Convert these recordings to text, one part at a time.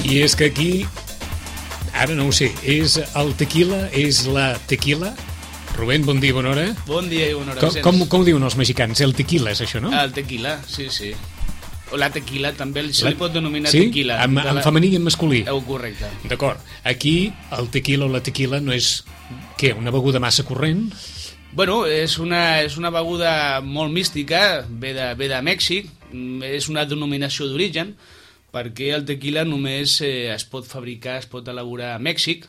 I és que aquí, ara no ho sé, és el tequila, és la tequila? Rubén, bon dia, bona hora. Bon dia i bona hora. Com ho diuen els mexicans? El tequila és això, no? El tequila, sí, sí. O la tequila, també se li pot denominar sí? tequila. En femení i en masculí? Correcte. D'acord. Aquí el tequila o la tequila no és, què, una beguda massa corrent? Bueno, és una beguda molt mística, ve de Mèxic, és una denominació d'origen, perquè el tequila només es pot fabricar, es pot elaborar a Mèxic,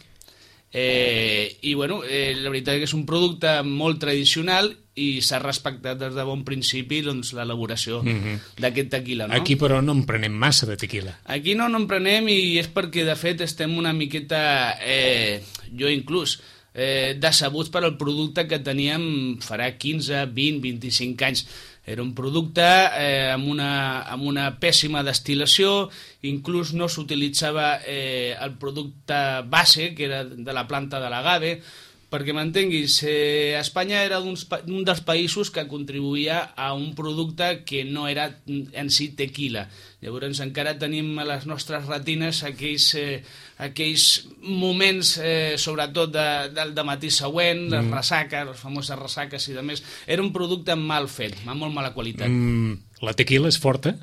i bueno, la veritat és que és un producte molt tradicional i s'ha respectat des de bon principi l'elaboració d'aquest tequila, no? Aquí però no en prenem massa de tequila. Aquí no en prenem, i és perquè de fet estem una miqueta, jo inclús, decebuts per al producte que teníem farà 15, 20, 25 anys. Era un producte amb una pèssima destil·lació, inclús no s'utilitzava el producte base, que era de la planta de l'agave, perquè m'entenguis, Espanya era un dels països que contribuïa a un producte que no era en si tequila. Llavors encara tenim a les nostres retines aquells moments, sobretot del matí següent, les ressaques, les famoses ressaques i demés. Era un producte mal fet, amb molt mala qualitat. La tequila és forta?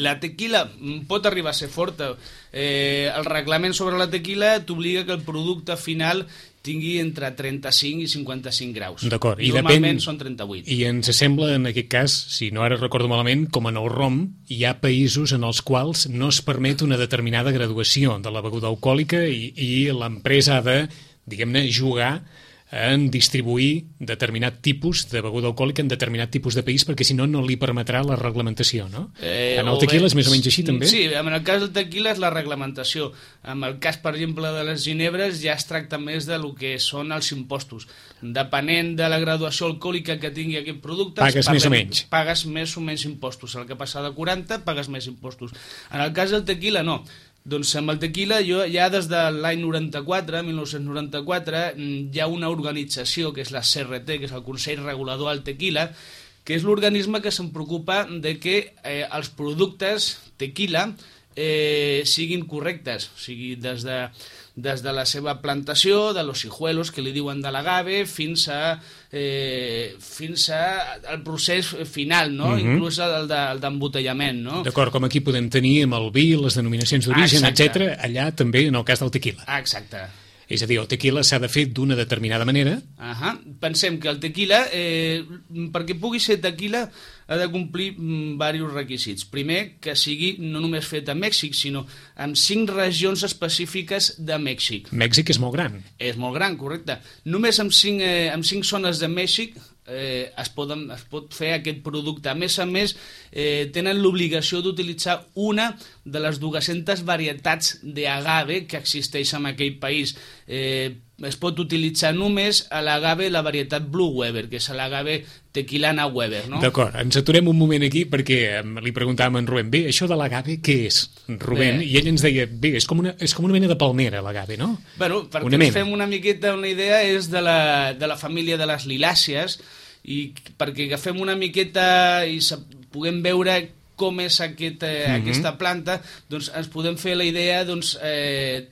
La tequila pot arribar a ser forta. El reglament sobre la tequila t'obliga que el producte final tingui entre 35 i 55 graus. D'acord. Normalment són 38. I ens sembla, en aquest cas, si no ara recordo malament, com en el rom, hi ha països en els quals no es permet una determinada graduació de la beguda alcohòlica i l'empresa ha de, diguem-ne, jugar en distribuir determinat tipus de beguda alcohòlica en determinat tipus de país, perquè si no, no li permetrà la reglamentació, no? En el tequila és més o menys així, també? Sí, en el cas del tequila és la reglamentació. En el cas, per exemple, de les ginebres ja es tracta més de lo que són els impostos. Depenent de la graduació alcohòlica que tingui aquest producte... Pagues més o menys. Pagues més o menys impostos. El que passa de 40, pagues més impostos. En el cas del tequila, no. Doncs amb el tequila, ja des de l'any 1994, hi ha una organització, que és la CRT, que és el Consell Regulador del Tequila, que és l'organisme que se'n preocupa de que els productes tequila siguin correctes, o sigui, des de la seva plantació, de los hijuelos, que li diuen de l'agave, fins al procés final, no? Inclús el d'embotellament, no? D'acord, com aquí podem tenir amb el vi, les denominacions d'origen, etc. Allà també en el cas del tequila. Exacte. És a dir, el tequila s'ha de fer d'una determinada manera. Pensem que el tequila, perquè pugui ser tequila, ha de complir diversos requisits. Primer, que sigui no només fet a Mèxic, sinó en 5 regions específiques de Mèxic. Mèxic és molt gran. És molt gran, correcte. Només amb 5 zones de Mèxic es pot fer aquest producte. A més, tenen l'obligació d'utilitzar una de les 200 varietats d'agave que existeix en aquell país. Es pot utilitzar només a l'agave la varietat Blue Weber, que és l'agave tequilana Weber, no? D'acord, ens aturem un moment aquí perquè li preguntàvem a en Rubén, bé, això de l'agave què és, Rubén? I ell ens deia, bé, és com una mena de palmera l'agave, no? Bueno, perquè ens fem una miqueta una idea, és de la família de les lilàcies, i perquè agafem una miqueta i puguem veure com és aquesta planta, doncs ens podem fer la idea, doncs,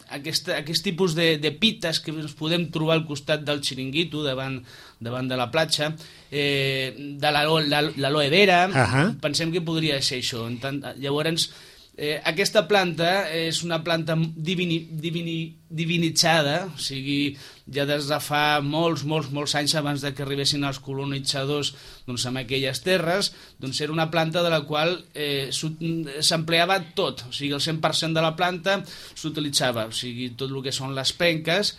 aquest tipus de pites que ens podem trobar al costat del xiringuito, davant de la platja, de l'aloe vera, pensem que podria ser això. Llavors, aquesta planta és una planta divinitzada, o sigui, ja des de fa molts anys abans de que arribessin els colonitzadors en aquelles terres, doncs era una planta de la qual s'empleava tot, o sigui, el 100% de la planta s'utilitzava, o sigui, tot el que són les penques,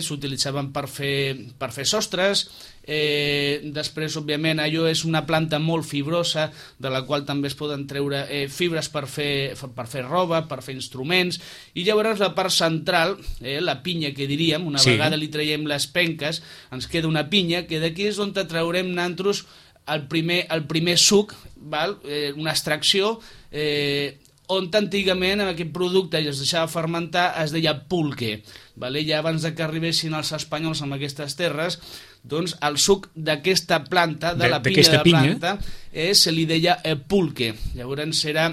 s'utilitzaven per fer sostres. Després, òbviament, allò és una planta molt fibrosa, de la qual també es poden treure fibres per fer roba, per fer instruments, i llavors la part central, la pinya que diríem, una vegada li traiem les penques, ens queda una pinya, que d'aquí és on traurem nosaltres el primer suc, una extracció, on antigament en aquest producte es deixava fermentar, es deia pulque. Ja abans que arribessin els espanyols en aquestes terres, doncs el suc d'aquesta planta, de la pinya de la planta, se li deia pulque. Llavors era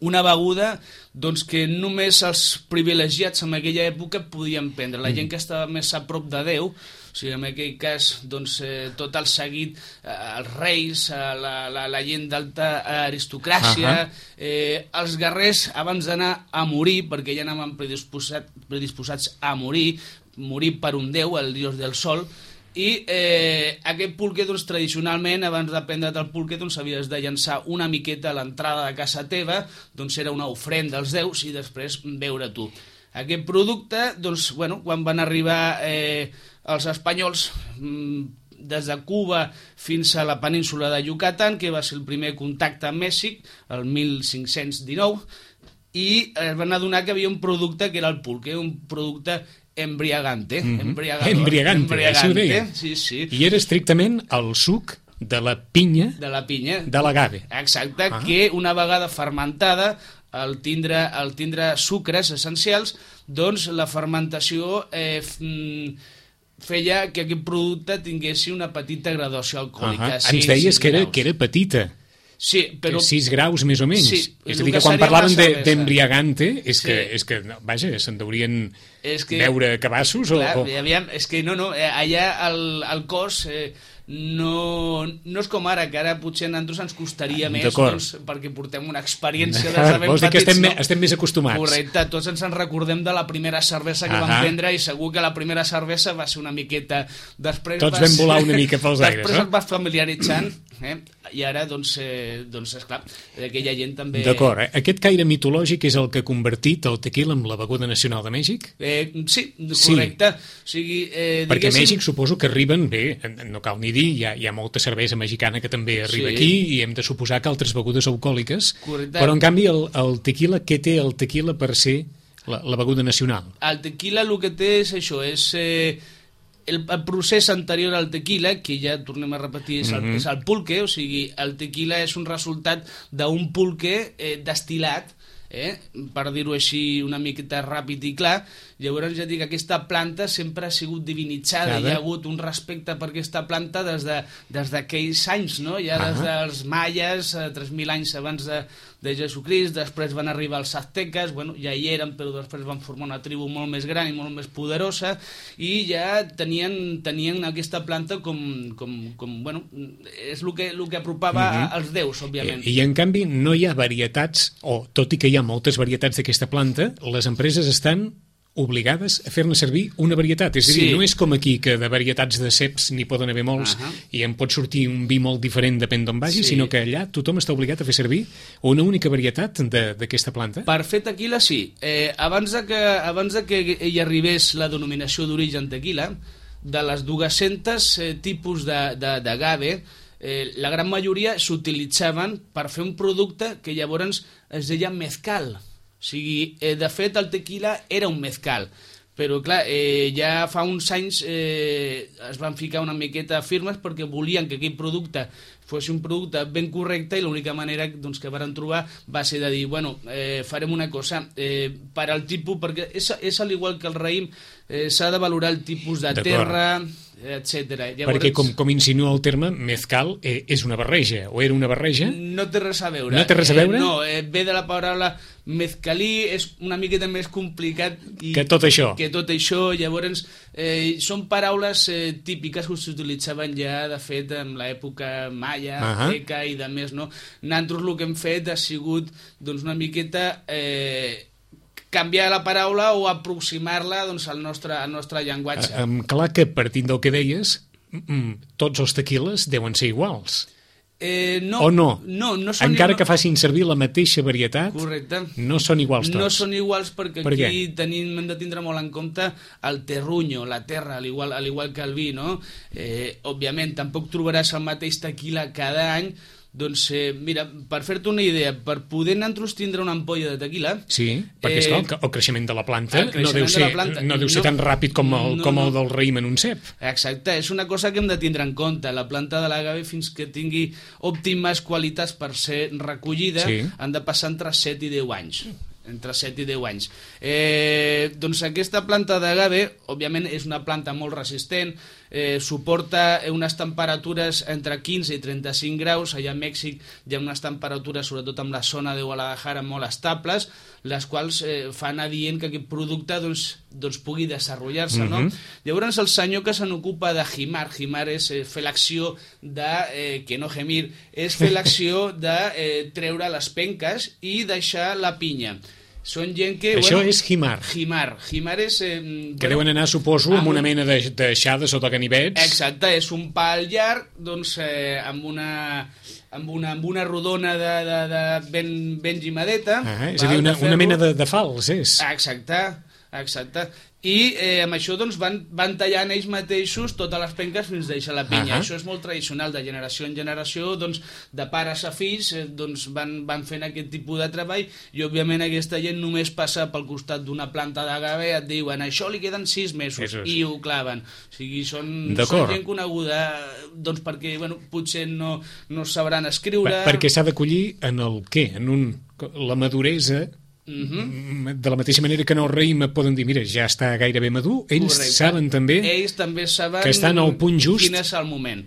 una beguda doncs, que només els privilegiats en aquella època podien prendre. La gent que estava més a prop de Déu, o sigui, en aquell cas, doncs, tot el seguit, els reis, la gent d'alta aristocràcia, els guerrers, abans d'anar a morir, perquè ja anaven predisposats a morir per un déu, el dios del sol, i aquest pulque, doncs, tradicionalment, abans de prendre't el pulque, doncs, havies de llançar una miqueta a l'entrada de casa teva, doncs era una ofrenda als déus i després beure tu. Aquest producte, doncs, bueno, quan van arribar els espanyols des de Cuba fins a la península de Yucatán, que va ser el primer contacte amb Mèxic, el 1519, i es van adonar que havia un producte que era el pulque, un producte embriagante. Embriagante, això ho deia. Sí. I era estrictament el suc de la pinya de l'agave. Exacte, que una vegada fermentada, al tindre sucres essencials, doncs la fermentació feia que aquest producte tingués una petita graduació alcohòlica. Ens deies que era petita. Sí, però... 6 graus més o menys. Sí, és a dir, que quan parlaven d'embriagante és que vaja, se'n deurien veure cabassos clar, aviam, és que no, allà el cos no és com ara, que ara potser a nosaltres ens costaria més, doncs, perquè portem una experiència des de ben vols dir petits, que estem més acostumats. Correcte, tots ens en recordem de la primera cervesa que vam prendre, i segur que la primera cervesa va ser una miqueta... Tots vam volar una mica pels aires, després et vas familiaritzant, i ara, doncs, esclar, aquella gent també... D'acord, aquest caire mitològic és el que ha convertit el tequila en la beguda nacional de Mèxic? Sí, correcte. O sigui, perquè a Mèxic suposo que arriben, bé, no cal ni dir, hi ha molta cervesa mexicana que també arriba aquí, i hem de suposar que altres begudes alcohòliques, però en canvi el tequila, què té el tequila per ser la beguda nacional? El tequila el que té és això, és... El procés anterior al tequila, que ja tornem a repetir, és el pulque, o sigui, el tequila és un resultat d'un pulque destil·lat, per dir-ho així una miqueta ràpid i clar. Llavors ja dic, aquesta planta sempre ha sigut divinitzada, hi ha hagut un respecte per aquesta planta des d'aquells anys, no? Ja des dels maies, 3.000 anys abans de Jesucrist, després van arribar els azteques, bueno, ja hi eren, però després van formar una tribu molt més gran i molt més poderosa, i ja tenien aquesta planta com bueno, és el que apropava als déus, òbviament. I en canvi no hi ha varietats, o tot i que hi ha moltes varietats d'aquesta planta, les empreses estan obligades a fer-ne servir una varietat. És a dir, no és com aquí, que de varietats de ceps n'hi poden haver molts i en pot sortir un vi molt diferent depèn d'on vagi, sinó que allà tothom està obligat a fer servir una única varietat d'aquesta planta. Per fer tequila, sí. Abans de que hi arribés la denominació d'origen tequila, de les 200 tipus d'agave, la gran majoria s'utilitzaven per fer un producte que llavors es deia mezcal. O sigui, de fet, el tequila era un mezcal, però clar, ja fa uns anys es van ficar una miqueta firmes perquè volien que aquell producte fos un producte ben correcte, i l'única manera doncs, que van trobar va ser de dir, bueno, farem una cosa, per al tipus, perquè és al igual que el raïm, s'ha de valorar el tipus de terra, etc. Perquè com insinua el terme, mezcal és una barreja, o era una barreja? No té res a veure. No té res a veure? No, ve de la paraula mezcalí, és una miqueta més complicat que tot això. Llavors són paraules típiques que s'utilitzaven ja, de fet, en l'època maia, azteca i de més, no? Nosaltres el que hem fet ha sigut doncs, una miqueta canviar la paraula o aproximar-la doncs, al nostre llenguatge. Clar que, partint del que deies, tots els tequiles deuen ser iguals. No, o no? No són encara que facin servir la mateixa varietat, correcte, no són iguals tots. No són iguals perquè aquí hem de tindre molt en compte el terruño, la terra, al igual que el vi, no? Òbviament, tampoc trobaràs el mateix tequila cada any. Doncs mira, per fer-te una idea, per poder nosaltres tindre una ampolla de tequila... Sí, perquè esclar, el creixement de la planta no deu ser tan ràpid com el del raïm en un cep. Exacte, és una cosa que hem de tindre en compte. La planta de l'agave, fins que tingui òptimes qualitats per ser recollida, han de passar entre 7 i 10 anys. Entre 7 i 10 anys. Doncs aquesta planta d'agave, òbviament, és una planta molt resistent, suporta unes temperatures entre 15 i 35 graus. Allà a Mèxic hi ha unes temperatures, sobretot en la zona de Guadalajara, molt estables, les quals fan adient que aquest producte doncs pugui desenvolupar-se, no? Llavors el senyor que se n'ocupa de Jimar és fer l'acció de, que no gemir, és fer l'acció de treure les penques i deixar la pinya. Són gent que... Això és Jimar. Jimar és... Que deuen anar, suposo, amb una mena d'aixada sota ganivets. Exacte, és un pal llarg, doncs, amb una rodona ben gimadeta. És a dir, una mena de fals, és. Exacte. I amb això doncs, van tallant ells mateixos totes les penques fins a deixar la pinya. Això és molt tradicional, de generació en generació, doncs, de pares a fills, doncs, van fent aquest tipus de treball, i òbviament aquesta gent només passa pel costat d'una planta d'agave, et diuen això li queden 6 mesos, i ho claven. O sigui, són gent coneguda, doncs, perquè potser no sabran escriure... Perquè s'ha de collir en el què? En la maduresa... De la mateixa manera que en el raïm poden dir, mira, ja està gairebé madur, ells saben també que estan al punt just. Quin és el moment,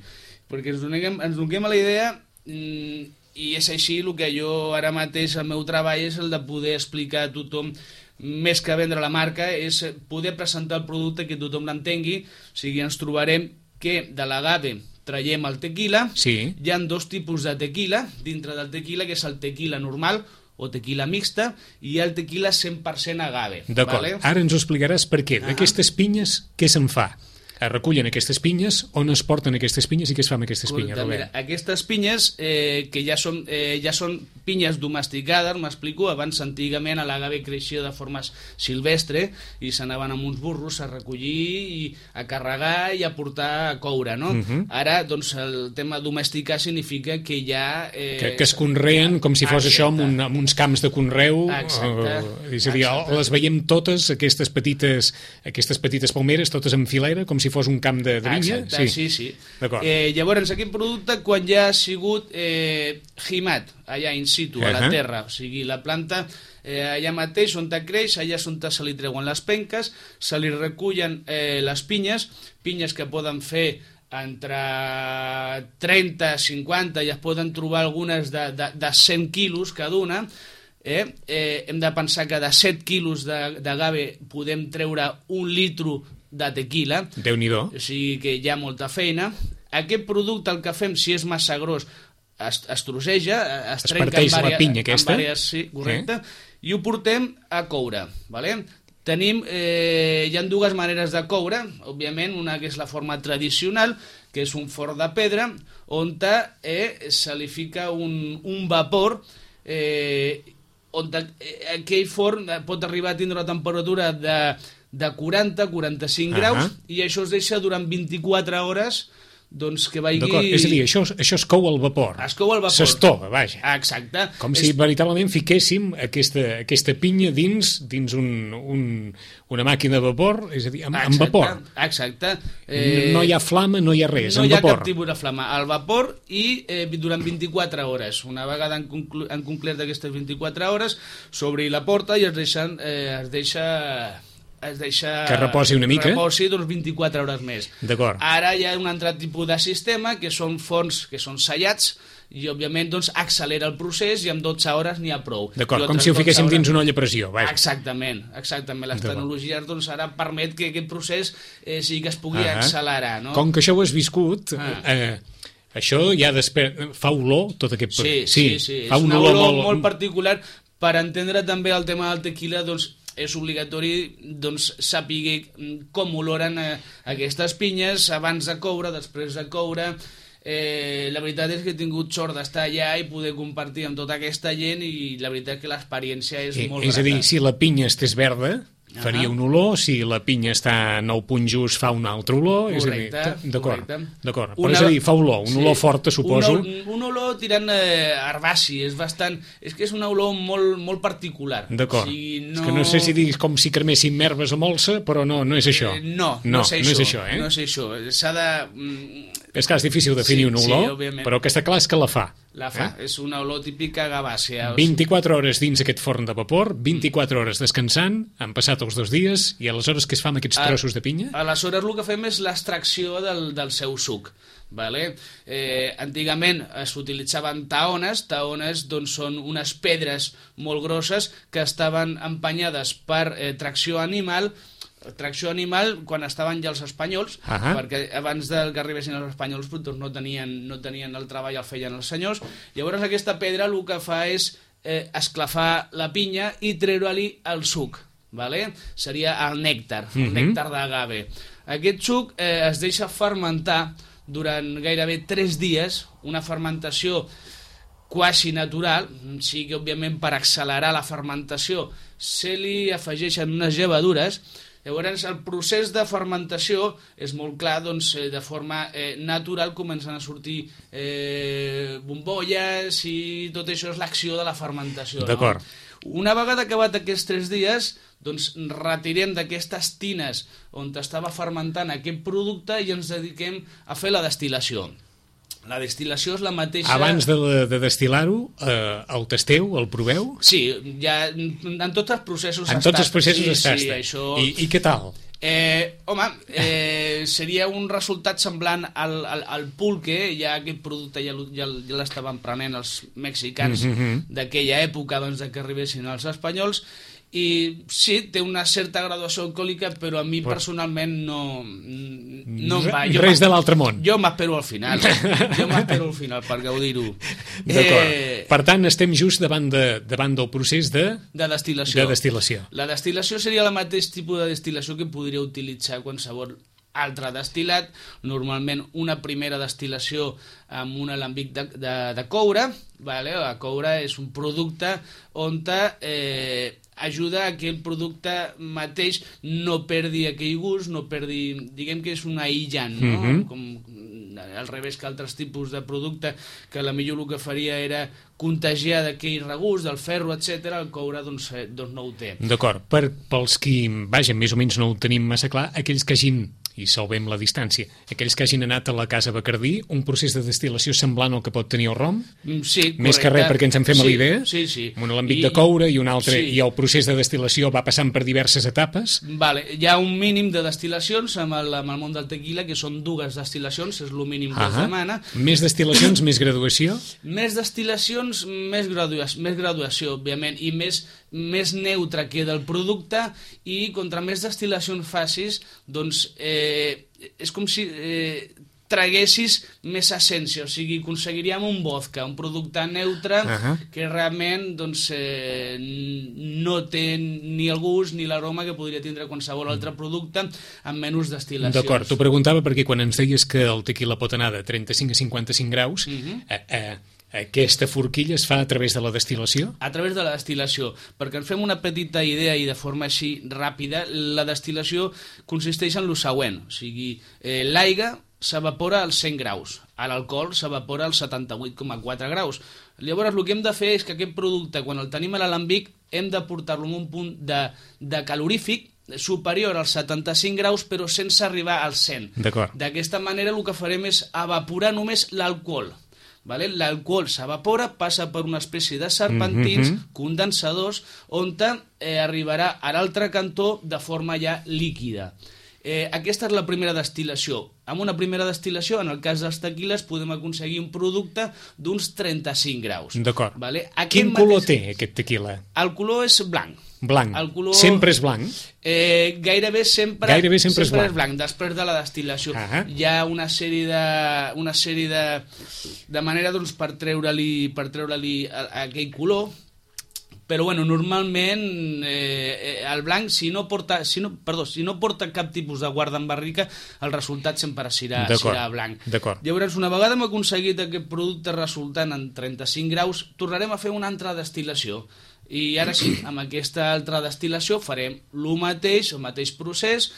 perquè ens donem a la idea, i és així el que jo ara mateix, el meu treball és el de poder explicar a tothom, més que vendre la marca, és poder presentar el producte que tothom l'entengui. O sigui, ens trobarem que de l'agave traiem el tequila. Hi ha 2 tipus de tequila dintre del tequila, que és el tequila normal o tequila mixta, i el tequila 100% agave. D'acord, ara ens ho explicaràs per què. D'aquestes pinyes, què se'n fa? Es recullen aquestes pinyes, on es porten aquestes pinyes i què es fa amb aquestes pinyes, Robert? Mira, aquestes pinyes, que ja són pinyes domesticades, m'explico, abans antigament a l'agave creixia de forma silvestre i s'anaven amb uns burros a recollir i a carregar i a portar a coure, no? Ara, doncs, el tema domesticar significa que ja... Que es conreen com si fos això amb uns camps de conreu. És a dir, les veiem totes, aquestes petites palmeres, totes en filera, com si fos un camp de vinya? Sí. Llavors, aquest producte, quan ja ha sigut gimat, allà in situ, a la terra, o sigui, la planta allà mateix on creix, allà és on se li treuen les penques, se li recullen les pinyes que poden fer entre 30 i 50, i es poden trobar algunes de 100 quilos cada una. Hem de pensar que de 7 quilos d'agave podem treure 1 litro de tequila. Déu-n'hi-do. O sigui que hi ha molta feina. Aquest producte, el que fem, si és massa gros, es trosseja, es trenca parteix la pinya aquesta. Sí, correcte. I ho portem a coure, vale? Hi ha 2 maneres de coure, òbviament, una que és la forma tradicional, que és un forn de pedra, on se li fica un vapor, on aquell forn pot arribar a tindre una temperatura de 40-45 graus, i això es deixa durant 24 hores, doncs que vagi... D'acord, és a dir, això es cou al vapor. Es cou al vapor. S'estova, vaja. Exacte. Com si veritablement fiquéssim aquesta pinya dins una màquina de vapor, és a dir, amb vapor. Exacte. No hi ha flama, no hi ha res, amb vapor. No hi ha cap tipus de flama. Al vapor i durant 24 hores. Una vegada han complert aquestes 24 hores, s'obri la porta i es deixa que reposi una mica. Reposi 24 hores més. D'acord. Ara hi ha un altre tipus de sistema, que són forns que són sellats, i òbviament doncs accelera el procés, i amb 12 hores n'hi ha prou. D'acord, com si ho fiquéssim dins una olla a pressió. Vaja. Exactament. Les tecnologies doncs ara permet que aquest procés sí que es pugui accelerar, no? Com que això ho has viscut, això ja fa olor, tot aquest... Sí. Fa una olor molt particular. Per entendre també el tema del tequila, doncs és obligatori saber com oloren aquestes pinyes abans de coure, després de coure. La veritat és que he tingut sort d'estar allà i poder compartir amb tota aquesta gent, i la veritat que l'experiència és molt grata. És a dir, si la pinya estés verda, faria un olor, si la pinya està en el punt just fa un altre olor. Correcte. D'acord. Però és a dir, fa olor, un olor forta, suposo. Un olor tirant herbaci, és que és una olor molt particular. D'acord. És que no sé si diguis com si cremessin merves o molsa, però no és això. No és això. S'ha de... És clar, és difícil definir un olor, òbviament. però aquesta clar és que la fa. La fa, és una olor típica gavàcia. 24 hores dins aquest forn de vapor, 24 hores descansant, han passat els 2 dies, i aleshores què es fa amb aquests trossos de pinya? Aleshores el que fem és l'extracció del seu suc. Vale? Antigament s'utilitzaven taones doncs són unes pedres molt grosses que estaven empenyades per tracció animal quan estaven ja els espanyols, perquè abans que arribessin els espanyols doncs no tenien el treball, el feien els senyors. Llavors aquesta pedra el que fa és esclafar la pinya i treure-li el suc. Vale? Seria el nèctar, el nèctar d'agave. Aquest suc es deixa fermentar durant gairebé 3 dies, una fermentació quasi natural, sí que òbviament per accelerar la fermentació se li afegeixen unes llevadures. Llavors el procés de fermentació és molt clar, doncs de forma natural comencen a sortir bombolles i tot això és l'acció de la fermentació. D'acord. No? Una vegada acabat aquests 3 dies, doncs retirem d'aquestes tines on estava fermentant aquest producte i ens dediquem a fer la destil·lació. La destil·lació és la mateixa... Abans de destil·lar-ho, el tasteu, el proveu? Sí, ja en tots els processos en tots els processos es tasta. Sí, això... I què tal? Seria un resultat semblant al pulque, ja aquest producte ja l'estaven prenent els mexicans d'aquella època abans que arribessin els espanyols, i sí, té una certa graduació alcohòlica, però a mi personalment no em va. Res de l'altre món. Jo m'espero al final. Per gaudir-ho. D'acord. Per tant, estem just davant del procés de destil·lació. La destil·lació seria el mateix tipus de destil·lació que podria utilitzar qualsevol altre destil·lat, normalment una primera destil·lació amb un alambic de coure. Vale? El coure és un producte on ajuda a que el producte mateix no perdi aquell gust, no perdi... Diguem que és un aïllant, no? Com al revés que altres tipus de producte, que potser el que faria era contagiar d'aquell regust, del ferro, etc. El coure doncs no ho té. D'acord. Pels qui, vaja, més o menys no ho tenim massa clar, aquells que hagin, i salvem la distància, aquells que hagin anat a la Casa Bacardí, un procés de destil·lació semblant al que pot tenir el rom? Sí, correcte. Més que res perquè ens en fem a l'idea? Sí. Un alambic de coure i un altre, i el procés de destil·lació va passant per diverses etapes? Vale, hi ha un mínim de destil·lacions amb el món del tequila, que són 2 destil·lacions, és el mínim que es demana. Més destil·lacions, més graduació? Més destil·lacions, més graduació, òbviament, i més neutre queda el producte, i contra més destil·lacions facis, doncs és com si traguessis més essència, o sigui, aconseguiríem un vodka, un producte neutre que realment doncs, no té ni el gust ni l'aroma que podria tindre qualsevol altre producte amb menys destil·lacions. D'acord, t'ho preguntava perquè quan ens deies que el tequila pot anar de 35 a 55 graus, aquesta forquilla es fa a través de la destil·lació? A través de la destil·lació. Perquè ens fem una petita idea i de forma així ràpida, la destil·lació consisteix en el següent. O sigui, l'aigua s'evapora als 100 graus, l'alcohol s'evapora als 78,4 graus. Llavors el que hem de fer és que aquest producte, quan el tenim a l'alambic, hem de portar-lo a un punt de calorífic superior als 75 graus però sense arribar als 100. D'aquesta manera el que farem és evaporar només l'alcohol. Vale? L'alcohol s'evapora, passa per una espècie de serpentins, condensadors, on arribarà a l'altre cantó de forma ja líquida. Aquesta és la primera destil·lació. Amb una primera destil·lació, en el cas dels tequiles, podem aconseguir un producte d'uns 35 graus. D'acord. Vale? Quin color té aquest tequila? El color és blanc. Blanc. Color... Sempre és blanc? Gairebé sempre és blanc. Després de la destil·lació. Hi ha una sèrie de manera doncs, per treure-li aquell color, però bueno, normalment el blanc, si no porta cap tipus de guarda en barrica, el resultat sempre serà blanc. Llavors, una vegada hem aconseguit aquest producte resultant en 35 graus, tornarem a fer una altra destil·lació. I ara sí, amb aquesta altra destil·lació farem el mateix procés,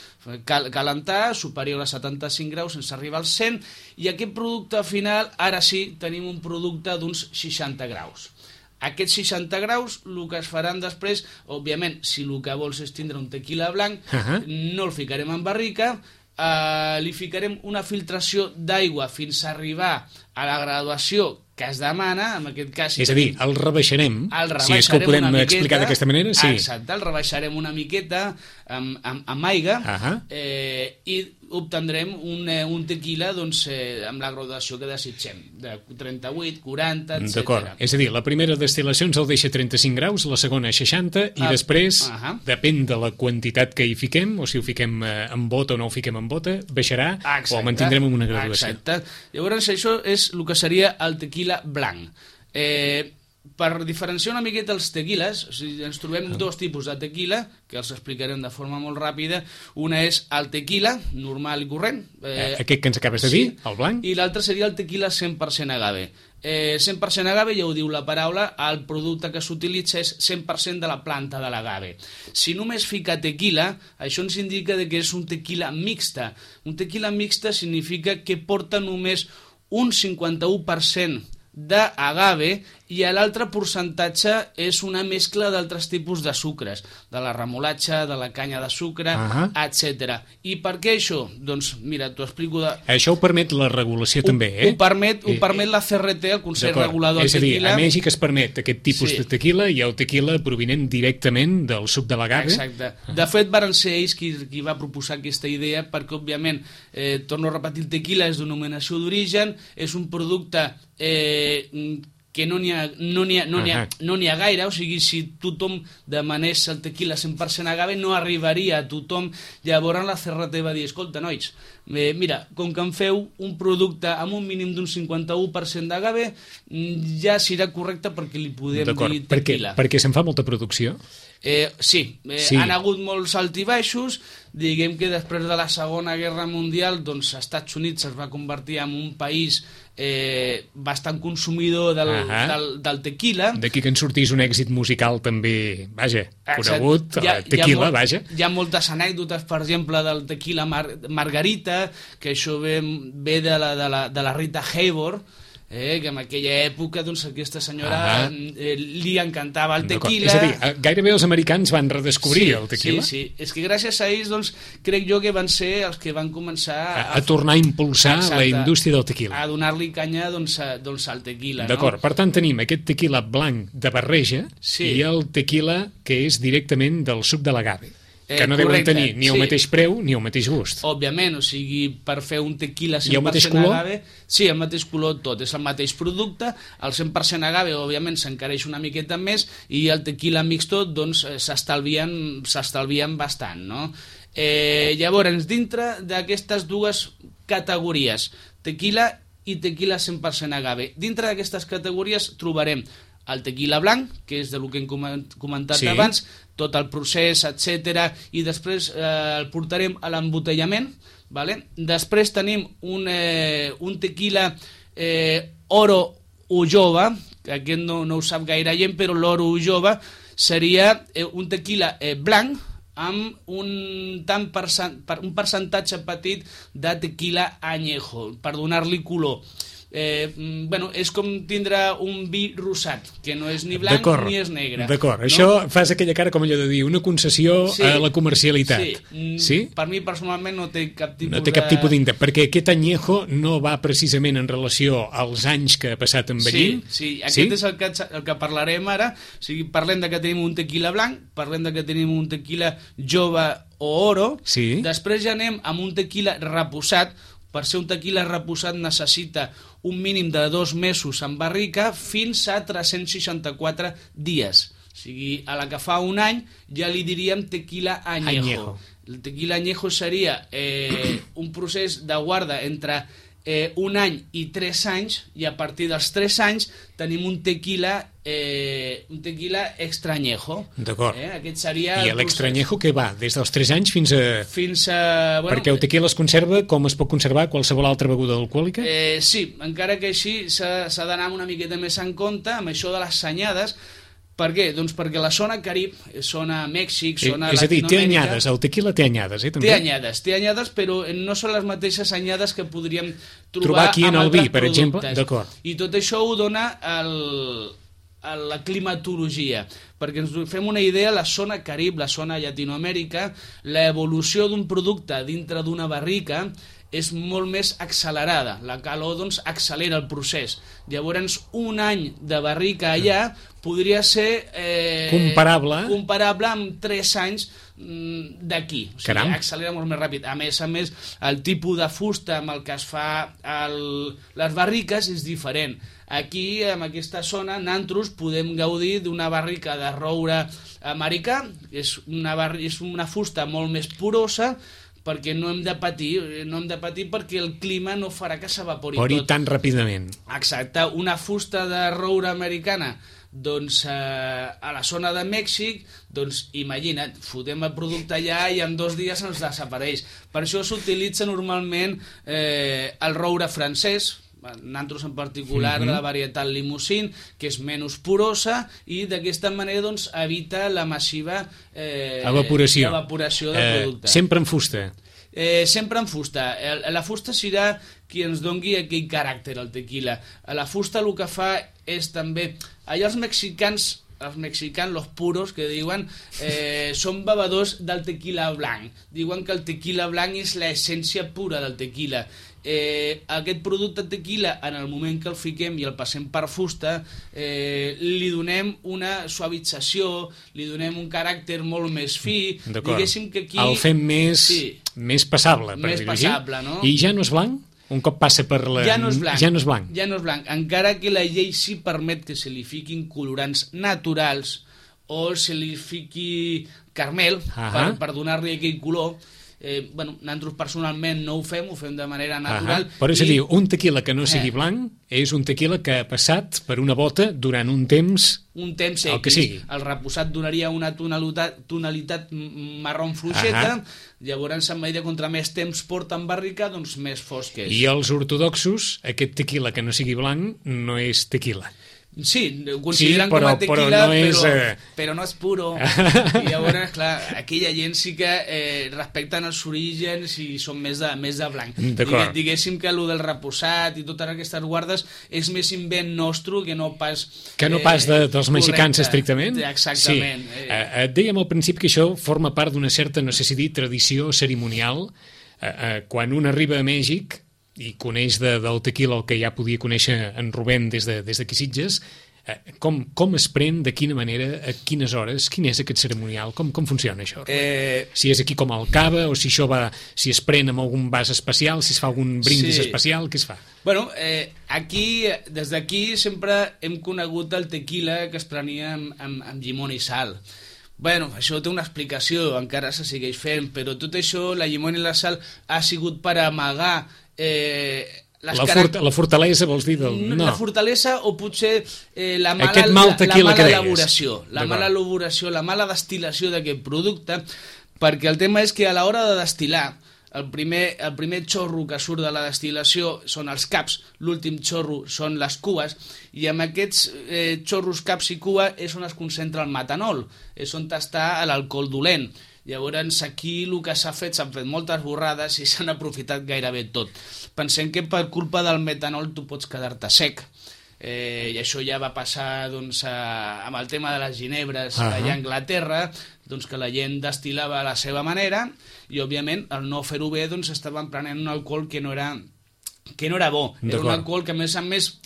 calentar, superior a 75 graus sense arribar als 100, i aquest producte final, ara sí, tenim un producte d'uns 60 graus. Aquests 60 graus, el que es faran després, òbviament, si el que vols és tindre un tequila blanc, no el ficarem en barrica, li ficarem una filtració d'aigua fins a arribar a la graduació que es demana, en aquest cas... És a dir, el rebaixarem, si és que ho podem explicar d'aquesta manera, sí. Exacte, el rebaixarem una miqueta amb aigua i obtendrem un tequila doncs, amb la graduació que desitgem, de 38, 40, etc. D'acord, és a dir, la primera destil·lació ens el deixa a 35 graus, la segona a 60, i després, depèn de la quantitat que hi fiquem, o si ho fiquem en bota o no ho fiquem en bota, baixarà o el mantindrem en una graduació. Exacte. Llavors, això és el que seria el tequila blanc. Per diferenciar una miqueta els tequiles, o sigui, ens trobem dos tipus de tequila, que els explicarem de forma molt ràpida. Una és el tequila, normal i corrent. Aquest que ens acabes de dir, el blanc. I l'altre seria el tequila 100% agave. 100% agave, ja ho diu la paraula, el producte que s'utilitza és 100% de la planta de l'agave. Si només fica tequila, això ens indica que és un tequila mixta. Un tequila mixta significa que porta només un 51% d'agave i l'altre percentatge és una mescla d'altres tipus de sucres, de la remolatxa, de la canya de sucre, etc. I per què això? Doncs mira, t'ho explico... Això ho permet la regulació també, eh? Ho permet la CRT, el Consell Regulador del Tequila. És a dir, a Mèxic es permet aquest tipus de tequila i el tequila provinent directament del suc de l'agave. Exacte. De fet, van ser ells qui va proposar aquesta idea perquè, òbviament, torno a repetir, el tequila és denominació d'origen, és un producte que no n'hi ha gaire, o sigui, si tothom demanés el tequila 100% agave no arribaria a tothom. Llavors la CRT va dir, escolta, nois, mira, com que em feu un producte amb un mínim d'un 51% d'agave, ja serà correcte perquè li podem dir tequila. Perquè se'n fa molta producció? Sí, han hagut molts altibaixos. Diguem que després de la Segona Guerra Mundial, doncs, els Estats Units es va convertir en un país bastant consumidor del tequila. D'aquí que en sortís un èxit musical també, vaja, conegut, tequila, vaja. Hi ha moltes anècdotes, per exemple, del tequila Margarita, que això ve de la Rita Hayworth, que en aquella època doncs, aquesta senyora li encantava el tequila. És a dir, gairebé els americans van redescobrir el tequila. Sí, és que gràcies a ells doncs, crec jo que van ser els que van començar a tornar a impulsar la indústria del tequila. A donar-li canya doncs, al tequila. D'acord, per tant tenim aquest tequila blanc de barreja i el tequila que és directament del suc de l'agave. Que no deuen tenir ni el mateix preu ni el mateix gust. Òbviament, o sigui, per fer un tequila 100% agave... Sí, el mateix color tot, és el mateix producte. El 100% agave, òbviament, s'encareix una miqueta més i el tequila mixto, doncs, s'estalvien bastant, no? Llavors, dintre d'aquestes dues categories, tequila i tequila 100% agave, dintre d'aquestes categories trobarem el tequila blanc, que és del que hem comentat abans, tot el procés, etc. I després el portarem a l'embotellament. Després tenim un tequila Oro Ulloa, que aquest no ho sap gaire gent, però l'Oro Ulloa seria un tequila blanc amb un percentatge petit de tequila añejo, per donar-li color. És com tindre un vi rosat, que no és ni blanc ni és negre. D'acord, això fas aquella cara com allò de dir una concessió a la comercialitat. Sí? Per mi personalment no té cap tipus no té cap tipus d'interès, perquè aquest añejo no va precisament en relació als anys que ha passat envellint. Sí, aquest és el que parlarem ara. O sigui, parlem de que tenim un tequila blanc, parlem de que tenim un tequila jove o oro, després ja anem amb un tequila reposat. Per ser un tequila reposat necessita un mínim de 2 mesos en barrica fins a 364 dies. O sigui, a la que fa un any ja li diríem tequila añejo. El tequila añejo seria un procés de guarda entre un any i 3 anys, i a partir dels 3 anys tenim un tequila extra añejo. D'acord. Aquest seria I l'extra añejo que va des dels 3 anys fins a... Perquè el tequila es conserva com es pot conservar qualsevol altra beguda alcohòlica? Sí, encara que així s'ha d'anar una miqueta més en compte amb això de les senyades. Per què? Doncs perquè la zona Carib, zona Mèxic, zona Latinoamèrica... És a dir, té anyades, el tequila té anyades, també? Té anyades, però no són les mateixes anyades que podríem trobar aquí en el vi, per exemple. D'acord. I tot això ho dona la climatologia. Perquè ens fem una idea, la zona Carib, la zona Llatinoamèrica, l'evolució d'un producte dintre d'una barrica és molt més accelerada. La calor doncs, accelera el procés. Llavors, un any de barrica allà podria ser comparable amb 3 anys d'aquí. O sigui, accelera molt més ràpid. A més, el tipus de fusta amb el que es fa les barriques és diferent. Aquí, en aquesta zona, nosaltres podem gaudir d'una barrica de roure americà. És una fusta molt més porosa, perquè no hem de patir perquè el clima no farà que s'evapori tot. Tan ràpidament. Exacte, una fusta de roure americana doncs a la zona de Mèxic, doncs imagina't, fotem el producte allà i en 2 dies ens desapareix. Per això s'utilitza normalment el roure francès, nosaltres en particular de la varietat Limousin, que és menys porosa i d'aquesta manera doncs, evita la massiva evaporació del producte. Sempre en fusta? Sempre en fusta. La fusta serà qui ens doni aquell caràcter al tequila. La fusta el que fa és també... Allà els mexicans, los puros, que diuen, són bevedors del tequila blanc. Diuen que el tequila blanc és l'essència pura del tequila. Aquest producte tequila, en el moment que el fiquem i el passem per fusta, li donem una suavització, li donem un caràcter molt més fi. Diguéssim que aquí... El fem més passable, per dir-ho així. No? I ja no és blanc? Un cop passa per la... Ja no és blanc. Ja no és blanc. Ja no és blanc. Encara que la llei sí permet que se li fiquin colorants naturals o se li fiqui carmel per donar-li aquell color. Nosaltres personalment no ho fem de manera natural. Però és a dir, un tequila que no sigui blanc és un tequila que ha passat per una bota durant un temps el que sigui. El reposat donaria una tonalitat marró fluixeta, llavors en medida contra més temps porta en barrica, doncs més fosc és. I els ortodoxos, aquest tequila que no sigui blanc no és tequila. Sí, ho consideren com a tequila, però no és puro. I llavors, clar, aquella gent sí que respecten els orígens i són més de blanc. Diguéssim que allò del reposat i totes aquestes guardes és més invent nostre que no pas... Que no pas dels mexicans, estrictament? Exactament. Et dèiem al principi que això forma part d'una certa, no sé si dir, tradició cerimonial. Quan un arriba a Mèxic i coneix del tequila el que ja podia conèixer en Rubén des d'aquí Sitges, com es pren, de quina manera, a quines hores, quin és aquest ceremonial, com funciona això? Si és aquí com al cava, o si es pren amb algun vas especial, si es fa algun brindis especial, què es fa? Bueno, des d'aquí sempre hem conegut el tequila que es prenia amb llimona i sal. Bueno, això té una explicació, encara se segueix fent, però tot això, la llimona i la sal, ha sigut per amagar la fortalesa, vols dir? La fortalesa o potser la mala elaboració, la mala destil·lació d'aquest producte, perquè el tema és que a l'hora de destil·lar, el primer xorro que surt de la destil·lació són els caps, l'últim xorro són les cues, i amb aquests xorros, caps i cua és on es concentra el metanol, és on està l'alcohol dolent. Llavors aquí el que s'han fet moltes borrades i s'han aprofitat gairebé tot. Pensem que per culpa del metanol tu pots quedar-te sec. I això ja va passar amb el tema de les ginebres allà a Anglaterra, que la gent destil·lava a la seva manera i òbviament al no fer-ho bé estaven prenent un alcohol que no era bo. Era un alcohol que a més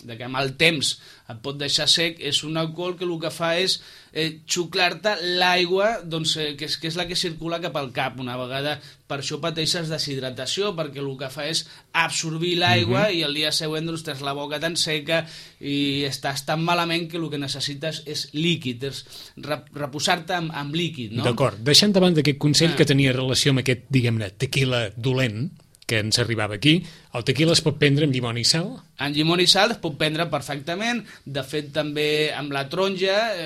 que amb el temps et pot deixar sec, és un alcohol que el que fa és xuclar-te l'aigua que és la que circula cap al cap. Una vegada per això pateixes deshidratació, perquè el que fa és absorbir l'aigua i el dia següent tens la boca tan seca i estàs tan malament que el que necessites és líquid, és reposar-te amb líquid, no? D'acord. Deixant de banda aquest consell que tenia relació amb aquest, diguem-ne, tequila dolent que ens arribava aquí, el tequila es pot prendre amb llimona i sal? En llimona i sal es pot prendre perfectament, de fet també amb la taronja,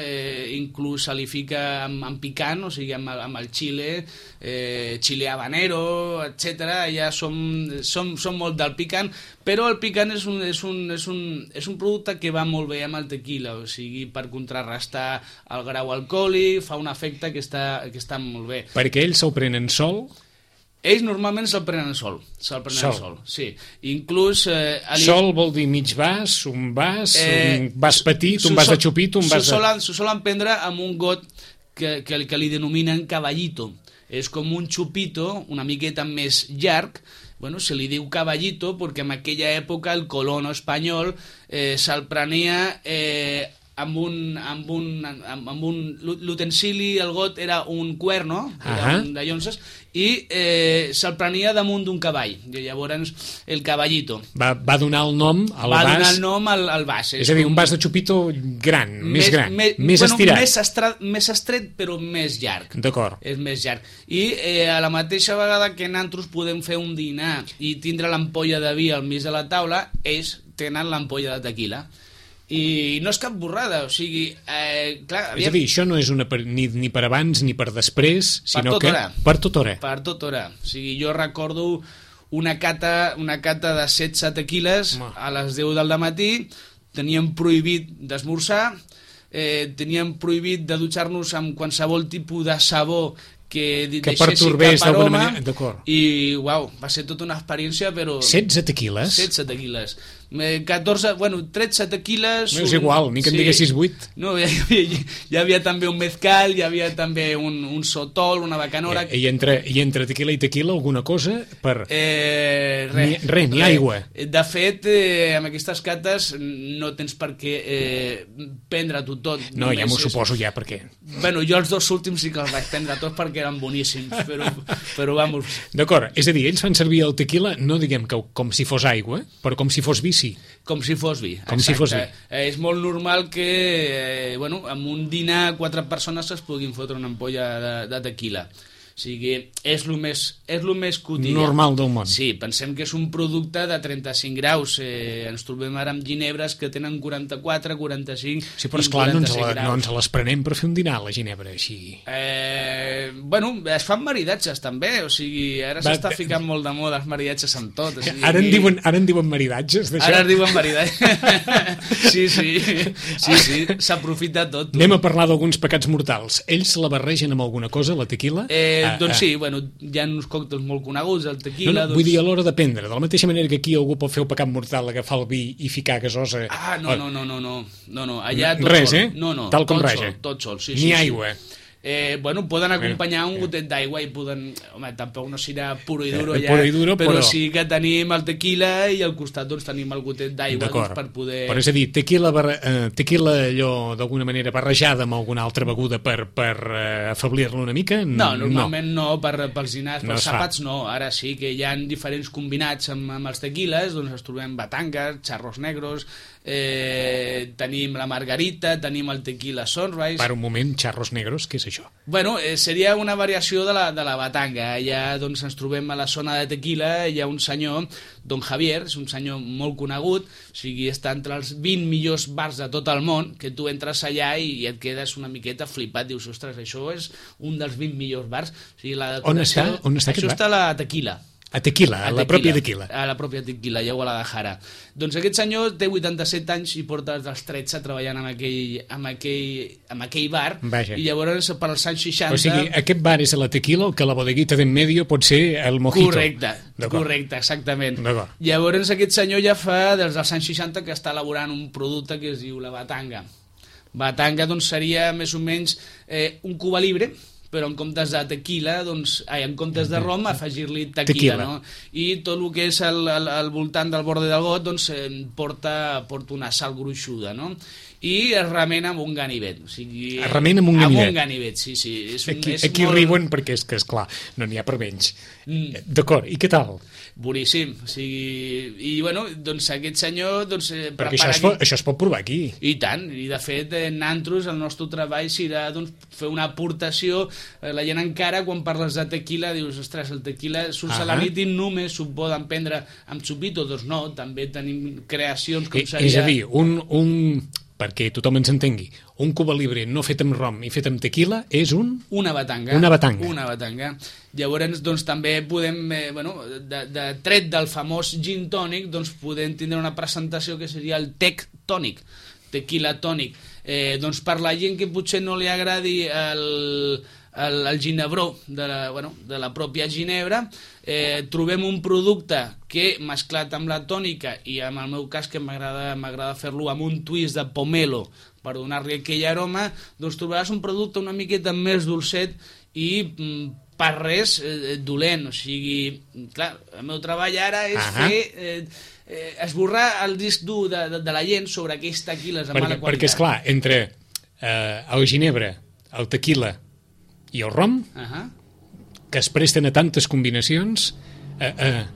inclús se li fica amb picant, o sigui amb el xile, xile habanero, etc. Ja som molt del picant, però el picant és un producte que va molt bé amb el tequila, o sigui, per contrarrestar el grau alcohòlic, fa un efecte que està molt bé. Perquè ells se'l prenen sol? Ells normalment se'l prenen sol. Sí. Inclús... Sol vol dir mig vas, un vas petit, un vas de xupito, un vas de... S'ho solen prendre amb un got que li denominen caballito. És com un xupito una miqueta més llarg, bueno, se li diu caballito perquè en aquella època el colono espanyol se'l prenia amb un l'utensili, el got era un cuerno, era un de llonses, i se'l prenia damunt d'un cavall. I llavors el caballito. Va donar el nom al vas. Va donar el nom al vas. És a dir, un vas de xupito gran, més gran, més estirat. Més estret, però més llarg. D'acord. És més llarg. I a la mateixa vegada que nosaltres podem fer un dinar i tindre l'ampolla de vi al mig de la taula, ells tenen l'ampolla de tequila. I no és cap borrada, o sigui, clar... És a dir, això no és ni per abans ni per després, sinó que per tota hora. Per tota hora. O sigui, jo recordo una cata de 16 tequiles a les 10 del matí, teníem prohibit d'esmorzar, teníem prohibit de dutxar-nos amb qualsevol tipus de sabó que pertorbés d'alguna manera. I, uau, va ser tota una experiència, però... 16 tequiles? 16 tequiles. 14, bueno, 13 tequiles... No és igual, ni que en diguessis 8. No, hi havia també un mezcal, hi havia també un sotol, una bacanora... I entre tequila i tequila alguna cosa? Res, ni aigua. De fet, amb aquestes cates no tens per què prendre-t'ho tot. No, ja m'ho suposo ja, perquè... Bueno, jo els 2 últims sí que els vaig prendre tots perquè eren boníssims, però vamos... D'acord, és a dir, ells fan servir el tequila, no diguem que com si fos aigua, però com si fos vi, sí. Com si fos vi, com si fos vi. És molt normal que amb un dinar 4 persones es puguin fotre una ampolla de tequila. O sigui, és el més quotidià. Normal del món. Sí, pensem que és un producte de 35 graus. Ens trobem ara amb ginebres que tenen 44, 45... Sí, però esclar, no ens les prenem per fer un dinar, la ginebra, així. Bueno, es fan maridatges també, o sigui, ara s'està ficant molt de moda els maridatges amb tot. O sigui, ara en diuen maridatges, d'això? Ara en diuen maridatges. Sí, s'aprofita tot. Anem a parlar d'alguns pecats mortals. Ells la barregen amb alguna cosa, la tequila? Doncs sí, bueno, hi ha uns còctels molt coneguts, el tequila... Vull dir, a l'hora de prendre, de la mateixa manera que aquí algú pot fer el pecat mortal, agafar el vi i ficar gasosa... No, allà tot res, sol. No, tal com raja. Tot sol, sí. Ni aigua. Bueno, poden acompanyar un gotet d'aigua i poden... Home, tampoc no serà puro i duro ja, però sí que tenim el tequila i al costat doncs tenim el gotet d'aigua doncs, per poder... Però és a dir, tequila allò d'alguna manera barrejada amb alguna altra beguda per afeblir-lo una mica? No, normalment no, pels dinars, pels àpats no. Ara sí que hi ha diferents combinats amb els tequiles, doncs ens trobem batangas, charros negros, tenim la margarita, tenim el tequila sunrise... Per un moment, charros negros, què és això? Bueno, seria una variació de la batanga. Allà doncs, ens trobem a la zona de tequila, hi ha un senyor, Don Javier, és un senyor molt conegut, o sigui, està entre els 20 millors bars de tot el món, que tu entres allà i et quedes una miqueta flipat, dius, ostres, això és un dels 20 millors bars. O sigui, on està això està a la Tequila. A Tequila, a la pròpia Tequila. A la pròpia Tequila, ja a Guadalajara. Doncs aquest senyor té 87 anys i porta dels 13 treballant en aquell bar. Vaja. I llavors per als anys 60... O sigui, aquest bar és a la Tequila, el que la bodeguita d'en medio pot ser el mojito. Correcte, exactament. Llavors aquest senyor ja fa des dels anys 60 que està elaborant un producte que es diu la batanga. Batanga doncs seria més o menys un Cuba Libre, però en comptes de tequila, doncs, en comptes de rom, afegir-li tequila. No? I tot el que és al voltant del borde del got doncs, porta una sal gruixuda, no? I es remena amb un ganivet. O sigui, es remena amb un ganivet? Amb un ganivet, sí. Aquí riuen perquè és que, esclar, no n'hi ha per menys. D'acord, i què tal? Boníssim. O sigui, i, bueno, doncs aquest senyor... Doncs, perquè això es pot provar aquí. I tant, i de fet, nosaltres, el nostre treball serà doncs, fer una aportació. La gent encara, quan parles de tequila, dius, ostres, el tequila surts a la nit i només s'ho poden prendre amb xupito. Doncs no, també tenim creacions com seria... És a dir, perquè tothom ens entengui, un Cuba Libre no fet amb rom i fet amb tequila és una batanga. Una batanga. Una batanga. Llavors, doncs, també podem, de tret del famós gin tònic, doncs podem tindre una presentació que seria el tec tònic, tequila tònic. Doncs per la gent que potser no li agradi el ginebró de la pròpia ginebra, trobem un producte que mesclat amb la tònica i en el meu cas que m'agrada fer-lo amb un twist de pomelo per donar-li aquell aroma, doncs trobaràs un producte una miqueta més dolcet i per res dolent, o sigui, clar, el meu treball ara és fer esborrar el disc dur de la gent sobre aquells tequiles de mala qualitat. Perquè, esclar, entre el ginebra, el tequila i el rom, que es presten a tantes combinacions,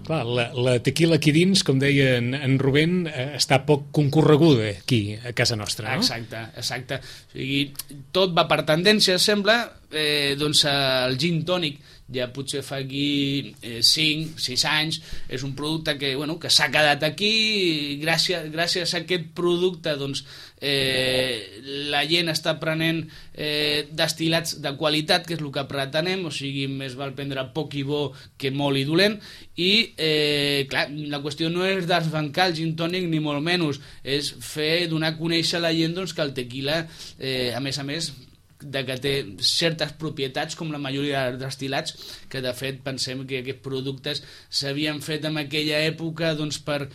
clar, la tequila aquí dins, com deia en Rubén, està poc concorreguda aquí a casa nostra, no? Exacte. O sigui, tot va per tendència, sembla. Doncs el gin tònic ja potser fa aquí 5-6 anys, és un producte que s'ha quedat aquí, i gràcies a aquest producte doncs la gent està prenent destil·lats de qualitat, que és el que pretenem, o sigui, més val prendre poc i bo que molt i dolent, i clar, la qüestió no és desbancar el gin tònic ni molt menys, és donar a conèixer a la gent doncs, que el tequila, a més que té certes propietats com la majoria dels destil·lats, que de fet pensem que aquests productes s'havien fet en aquella època doncs, per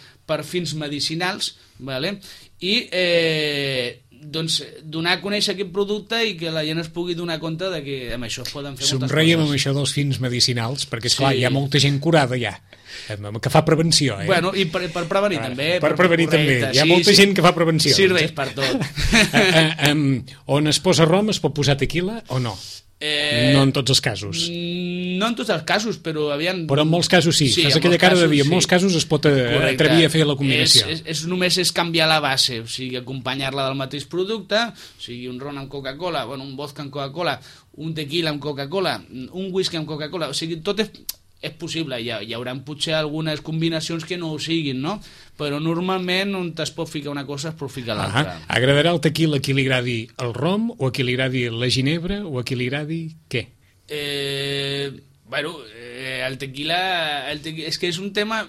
fins medicinals, vale? I doncs donar a conèixer aquest producte i que la gent es pugui donar compte de que amb això es poden fer moltes coses. Somreiem amb això dels fins medicinals, perquè esclar, hi ha molta gent curada ja, que fa prevenció. Bueno, i per prevenir també. Per prevenir també. Hi ha molta gent que fa prevenció. Serveix per tot. On es posa rom es pot posar tequila o no? No en tots els casos. No en tots els casos, però aviam... Però en molts casos sí. Fas aquella cara de dir, en molts casos es pot atrevir a fer la combinació. Només és canviar la base, o sigui, acompanyar-la del mateix producte, o sigui, un ron amb Coca-Cola, un vodka amb Coca-Cola, un tequila amb Coca-Cola, un whisky amb Coca-Cola, o sigui, tot és possible, hi haurà potser algunes combinacions que no ho siguin, no? Però normalment on es pot ficar una cosa es pot ficar l'altra. Agradarà el tequila a qui li agradi el rom, o a qui li agradi la ginebra, o a qui li agradi què? El tequila és que és un tema...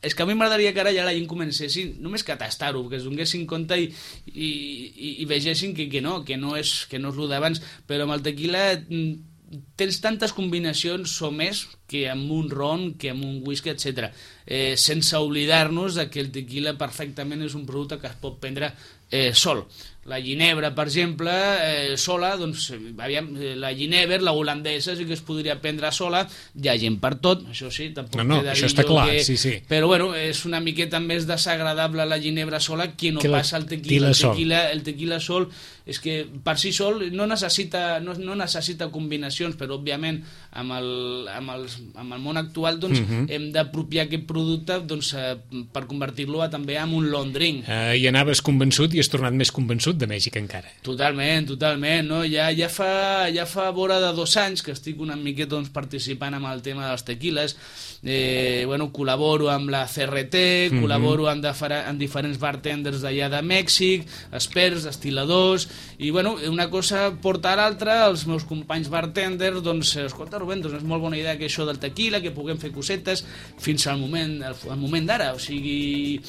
És que a mi m'agradaria que ara ja la gent comencessin només que a tastar-ho, que es donessin compte i vegessin que no és el d'abans, però amb el tequila tens tantes combinacions o més que amb un ron, que amb un whisky, etc. Sense oblidar-nos que el tequila perfectament és un producte que es pot prendre sol. La ginebra, per exemple, sola, doncs, la ginebra, la holandesa, sí que es podria prendre sola, hi ha gent per tot, això sí, tampoc no, això està clar, sí. Però bueno, és una miqueta més desagradable la ginebra sola que no passa el tequila. El tequila sol és que per si sol no necessita combinacions, però òbviament amb el món actual doncs, hem d'apropiar aquest producte doncs, per convertir-lo també en un long drink. I anaves convençut i has tornat més convençut de Mèxic encara. Totalment, no? Ja fa vora de 2 anys que estic una miqueta doncs, participant amb el tema dels tequiles. Col·laboro amb la CRT, col·laboro amb diferents bartenders d'allà de Mèxic, experts, destil·ladors, i una cosa porta a l'altra. Els meus companys bartenders doncs, escolta Rubén, doncs és molt bona idea que això del tequila, que puguem fer cosetes fins al moment d'ara, o sigui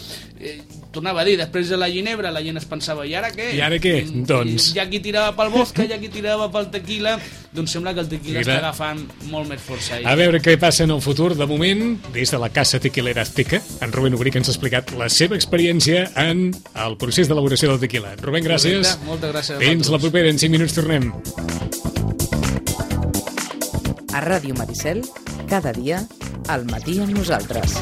tornava a dir, després de la ginebra la gent es pensava, i ara què? Doncs... Hi ha qui tirava pel vodka, hi ha qui tirava pel tequila, doncs sembla que el tequila està agafant molt més força. A veure què passa en el futur. De moment, des de la Casa Tequilera Azteca, en Rubén Obrí, que ens ha explicat la seva experiència en el procés d'elaboració del tequila. Rubén, gràcies. Moltes gràcies a Fins la propera, en 5 minuts tornem. A Ràdio Maricel, cada dia, al matí amb nosaltres.